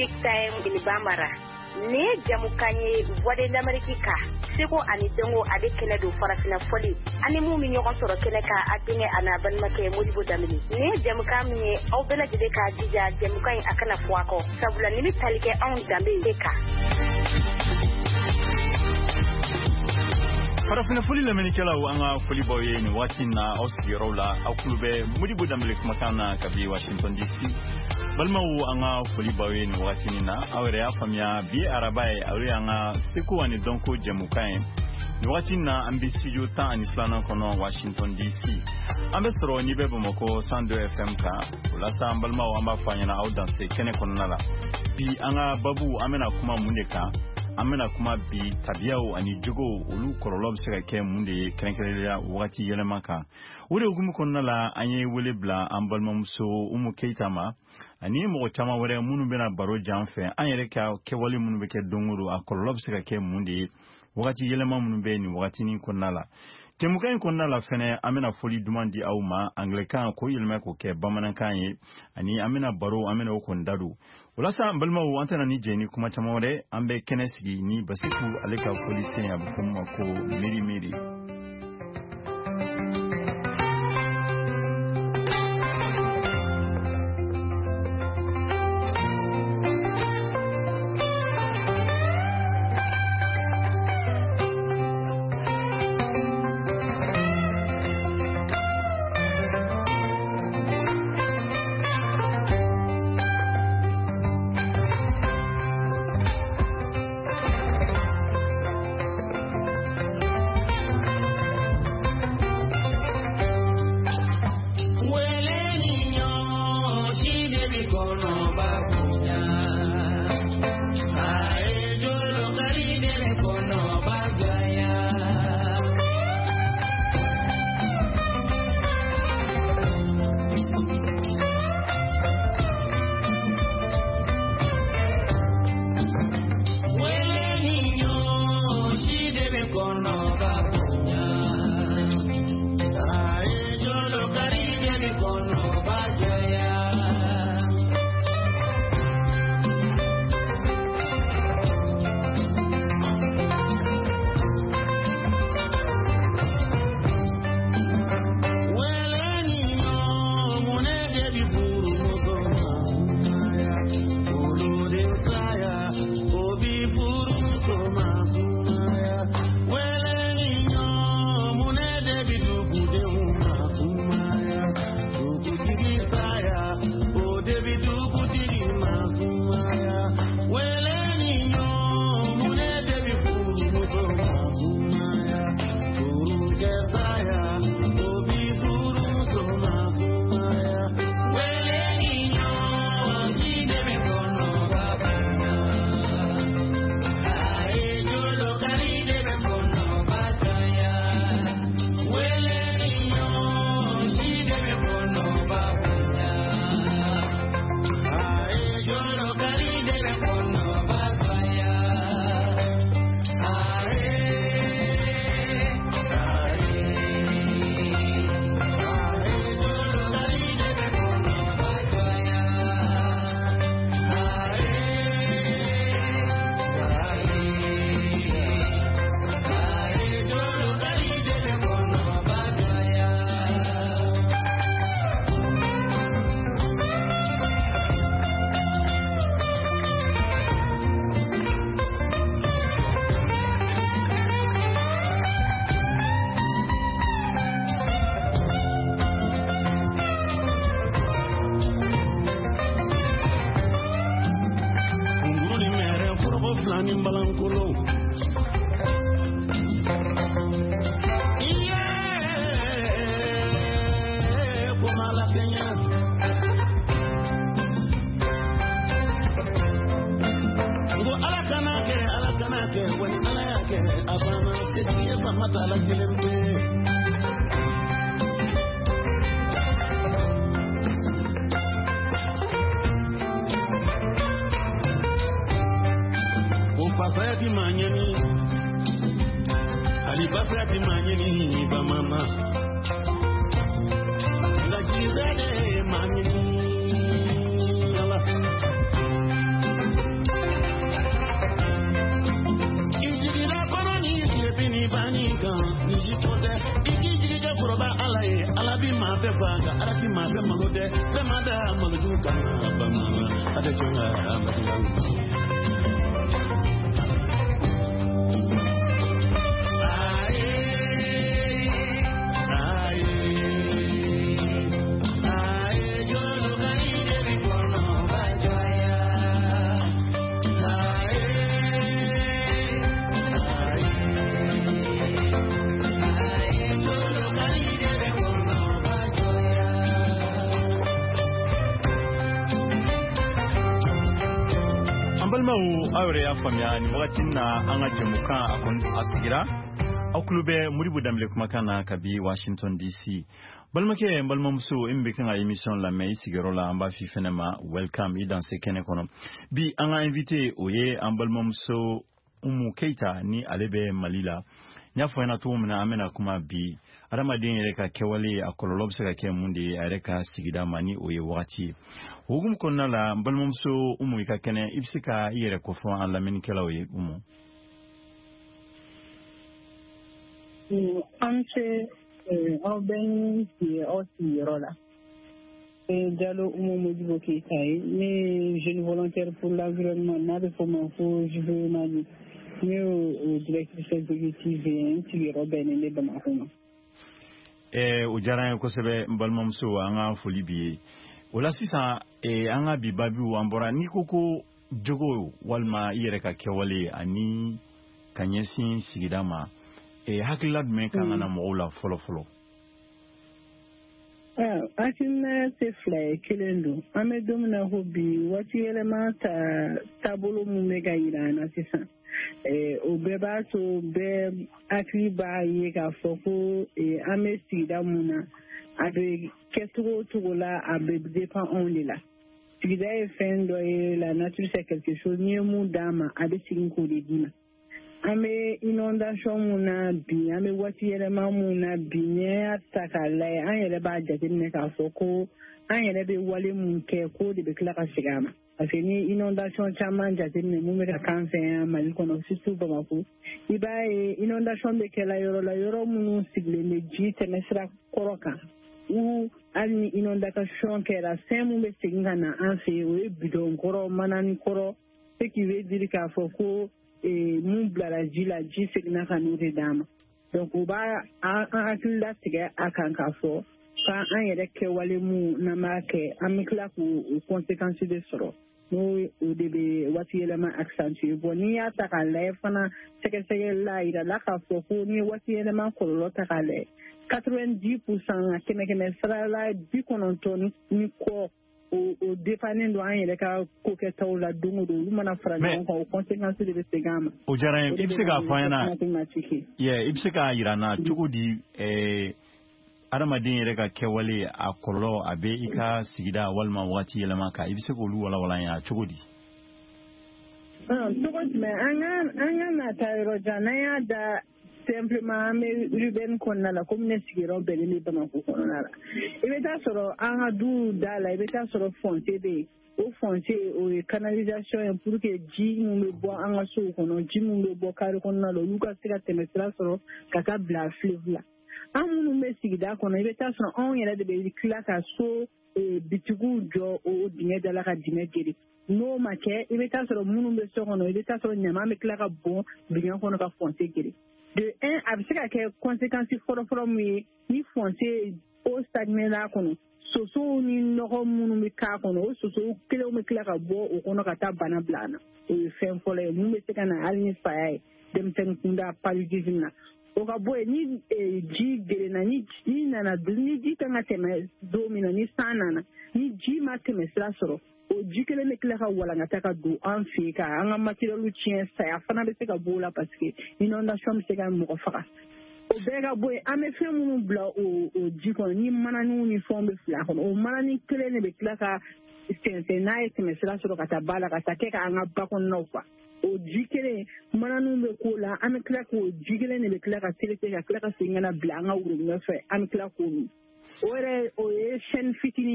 Music Time in Bambara. Nin ye jamukan ye Voix de l'Amérique kan, seko ani dɔnko ale kɛnɛ don farafinna fɔli ani mun bɛ ɲɔgɔn sɔrɔ kɛnɛ kan, a denkɛ a n'a balimakɛ Modibo Danbele. Nin ye jamukan min ye, aw bɛɛ lajɛlen k'a jija jamukan in a kana fɔ a kɔ, sabula nin bɛ tali kɛ anw danbe de kan. Farafinna foli lamɛnnikɛlaw, an ka foli b'aw ye nin waati in na aw sigiyɔrɔw la. Aw tulo bɛ Modibo Danbele kumakan na kabi Washington DC. Balimaw, an ka foli b'aw ye nin wagati in na. Aw yɛrɛ y'a faamuya, bi ye araba ye, aw y'an ka seko ani dɔnko jɛmukan ye. Nin wagati in na, an bɛ studio 12nan kɔnɔ Washington DC. An bɛ sɔrɔ n'i bɛ Bamakɔ 102 FM kan. O la sa, an balimaw, an b'a fɔ a ɲɛna aw danse kɛnɛ kɔnɔna la. Bi an ka babu, an bɛna kuma mun de kan? An bɛna kuma bi tabiyaw ani jogow, olu kɔlɔlɔ bɛ se ka kɛ mun de ye kɛrɛnkɛrɛnnenya wagati yɛlɛma kan. O de hukumu kɔnɔna la, an ye wele bila an balimamuso Umu Keyita ma ani mɔgɔ caman wɛrɛ minnu bɛna baro jan fɛ, an yɛrɛ ka kɛwale minnu bɛ kɛ don o don, a kɔlɔlɔ bɛ se ka kɛ mun de ye wagati yɛlɛma minnu bɛ nin wagatinin kɔnɔna la. Jɛmukan in kɔnɔna la fɛnɛ, an bɛna foli duman di aw ma anglɛkan k'o yɛlɛma k'o kɛ bamanankan ye, ani an bɛna baro, an bɛna o kɔni da don. O la sa, an balimaw, an tɛna ni jɛ ni kuma caman wɛrɛ, an bɛ kɛnɛ sigi ni Basiku ale ka fɔlisen, a bɛ fɔ min ma ko miiri miiri. nka ala ti maa bɛɛ malo dɛ bɛɛ ma da malojugu kama bamanan a tɛ jɔn ka malojugu. Balimaw, aw yɛrɛ y'a faamuya nin wagati na an ka jɛmukan a kɔni a sigira. Aw tulo bɛ Modibo Danbele kumakan na kabi Washington DC. Balimakɛ, n balimamuso, e min bɛ kan ka émission lamɛn i sigiyɔrɔ la, an b'a f'i fɛnɛ ma welcome, i danse kɛnɛ kɔnɔ. Bi an ka invité, o ye an balimamuso Umu Keyita, ni ale bɛ Mali la. N y'a fɔ ɲɛna cogo min na, an bɛna kuma bi adamaden yɛrɛ ka kɛwale, a kɔlɔlɔ bɛ se ka kɛ mun de ye a yɛrɛ ka sigida ma, ni o ye wagati ye. O hukumu kɔnɔna la, n balimamuso Umu, i ka kɛnɛ, i bɛ se ka i yɛrɛ kofɔ an lamɛnnikɛlaw ye, Umu? An ce, aw bɛɛ ni sigi aw sigiyɔrɔ la. Jalo Umu Modibo Keyita ye, ne ye jeune volontaire pour l'environnement, n'a bɛ fɔ o ma ko JVE Mali. Ne y'o directrice exécutive ye, n sigiyɔrɔ bɛnnen bɛ Bamakɔ ma. O diyara an ye kosɛbɛ, n balimamuso, an ka foli b'i ye. O la sisan, an ka bi babiw, an bɔra n'i ko ko jogo walima i yɛrɛ ka kɛwale ani ka ɲɛsin sigida ma, hakilila jumɛn kan ka na mɔgɔw la fɔlɔ fɔlɔ? Hakilina tɛ fila ye, kelen don. An bɛ don min na ko bi, waati yɛlɛma ta taabolo min bɛ ka yira an na sisan, o bɛɛ b'a to bɛɛ hakili b'a ye k'a fɔ ko an bɛ sigida mun na, a bɛ kɛ cogo o cogo la, a bɛ dépend anw de la. Sigida ye fɛn dɔ ye, la nature c'est quelque chose, n'i ye mun d'a ma, a bɛ segin k'o de d'i ma. An bɛ inondation mun na bi, an bɛ waati yɛlɛma mun na bi, n'i y'a ta k'a lajɛ, an yɛrɛ b'a jateminɛ k'a fɔ ko an yɛrɛ bɛ wale mun kɛ, k'o de bɛ tila ka segin a ma. Parce que ni inondation caman jateminɛ mun bɛ ka k'an fɛ yan Mali kɔnɔ, surtout Bamakɔ, i b'a ye inondation bɛ kɛla yɔrɔ la, yɔrɔ minnu sigilen bɛ ji tɛmɛsira kɔrɔ kan, ou hali ni inondation kɛra, fɛn mun bɛ segin ka na an fɛ yen, o ye bidɔn kɔrɔ, manani kɔrɔ, ce qui veut dire k'a fɔ ko mun bilara ji la, ji seginna ka n'o de d'an ma. Donc o b'a an hakili latigɛ a kan k'a fɔ k'an yɛrɛ kɛwale mun n'an b'a kɛ, an bɛ tila k'o conséquence de sɔrɔ, n'o o de bɛ waati yɛlɛma accentuer. Bon, n'i y'a ta k'a lajɛ fana, sɛgɛsɛgɛli la, a yirala k'a fɔ ko n'i ye waati yɛlɛma kɔlɔlɔ ta k'a lajɛ, 90%, kɛmɛ kɛmɛ sara la 90 ni kɔ, o dépendant don an yɛrɛ ka kokɛtaw la don o don. Olu mana fara ɲɔgɔn kan, o conséquence de bɛ segin an ma. O diyara n ye. I bɛ se k'a fɔ an ɲɛna, i bɛ se k'a yira n na cogo di adamaden yɛrɛ ka kɛwale, a kɔlɔlɔ a bɛ i ka sigida walima waati yɛlɛma kan, i bɛ se k'olu walawala an ye cogo di? Cogo jumɛn? An ka na taa yɔrɔ jan, n'an y'a da simplement an bɛ urbaine kɔnɔna la, komi ne sigiyɔrɔ bɛnnen bɛ Bamakɔ kɔnɔna la, i bɛ taa sɔrɔ an ka duw da la, i bɛ taa sɔrɔ fossé bɛ yen. O fossé, o ye canalisation ye pour que ji min bɛ bɔ an ka sow kɔnɔ, ji min bɛ bɔ carré kɔnɔna la, olu ka se ka tɛmɛ sira sɔrɔ ka taa bila fleuve la. An minnu bɛ sigida kɔnɔ, i bɛ taa sɔrɔ anw yɛrɛ de bɛ tila ka so bitigiw jɔ o dingɛ da la ka dingɛ geren. N'o ma kɛ, i bɛ taa sɔrɔ minnu bɛ so kɔnɔ, i bɛ taa sɔrɔ ɲaman bɛ tila ka bɔn dingɛ kɔnɔ ka fossé geren. De un, a bɛ se ka kɛ conséquence fɔlɔ-fɔlɔ mun ye, ni fossé eau stagné n'a kɔnɔ, sosow ni nɔgɔ minnu bɛ k'a kɔnɔ, o sosow kelenw bɛ tila ka bɔ o kɔnɔ ka taa bana bila an na. O ye fɛn fɔlɔ ye mun bɛ se ka na hali ni saya ye denmisɛnnin kunda, paludisme na. O ka bɔ yen, ni ji gerenna, ni ji nana, ni ji kan ka tɛmɛ don min na, ni san nana, ni ji ma tɛmɛ sira sɔrɔ, o ji kelen bɛ tila ka walankata ka don an fɛ yen ka an ka matériel tiɲɛ. Saya fana bɛ se ka b'o la parce que inondation bɛ se ka mɔgɔ faga. O bɛɛ ka bɔ yen, an bɛ fɛn minnu bila o ji kɔnɔ, ni mananiw ni fɛnw bɛ fili a kɔnɔ, o manani kelen de bɛ tila ka sɛnsɛn n'a ye tɛmɛ sira sɔrɔ ka taa ba la, ka taa kɛ k'an ka ba kɔnɔnaw fa. O ji kelen, mananiw bɛ k'o la, an bɛ tila k'o ji kelen de bɛ tila ka traiter, ka tila ka segin ka na bila an ka worobinɛ fɛ, an bɛ tila k'o min. O yɛrɛ, o ye chaîne fitinin.